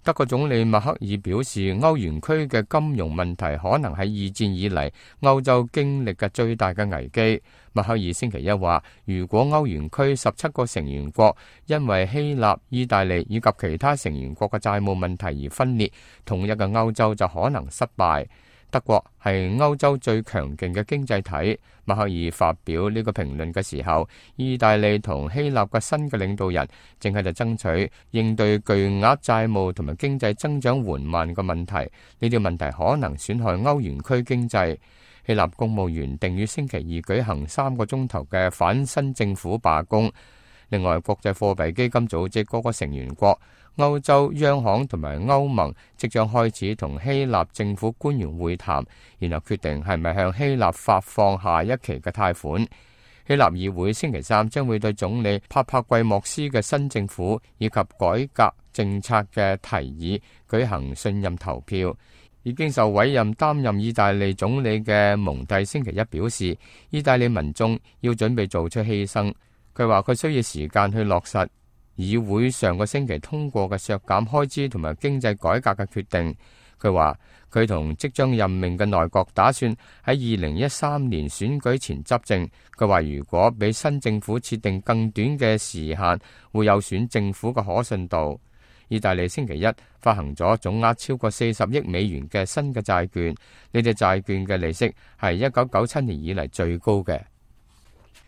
德國總理默克爾表示，歐元區嘅金融問題可能係二戰以嚟歐洲經歷嘅最大嘅危機。默克爾星期一話，如果歐元區17個成員國因為希臘、意大利以及其他成員國嘅債務問題而分裂，統一嘅歐洲就可能失敗。德國係歐洲最強勁嘅經濟體。默克爾發表呢個評論嘅時候，意大利同希臘嘅新嘅領導人正喺度爭取應對巨額債務同埋經濟增長緩慢嘅問題。呢啲問題可能損害歐元區經濟。希臘公務員定於星期二舉行3個鐘頭嘅反新政府罷工。另外，國際貨幣基金組織各個成員國、歐洲央行同埋歐盟即將開始同希臘政府官員會談，然後決定係咪向希臘發放下一期嘅貸款。希臘議會星期三將會對總理帕帕季莫斯嘅新政府以及改革政策嘅提議舉行信任投票。已經受委任擔任意大利總理嘅蒙蒂星期一表示，意大利民眾要準備做出犧牲。佢話佢需要時間去落實議會上個星期通過嘅削減開支同埋經濟改革嘅決定。佢話佢同即將任命嘅內閣打算喺2013年選舉前執政。佢話如果俾新政府設定更短嘅時限，會有損政府嘅可信度。意大利星期一發行咗總額超過40億美元嘅新嘅債券，呢啲債券嘅利息係1997年以嚟最高嘅。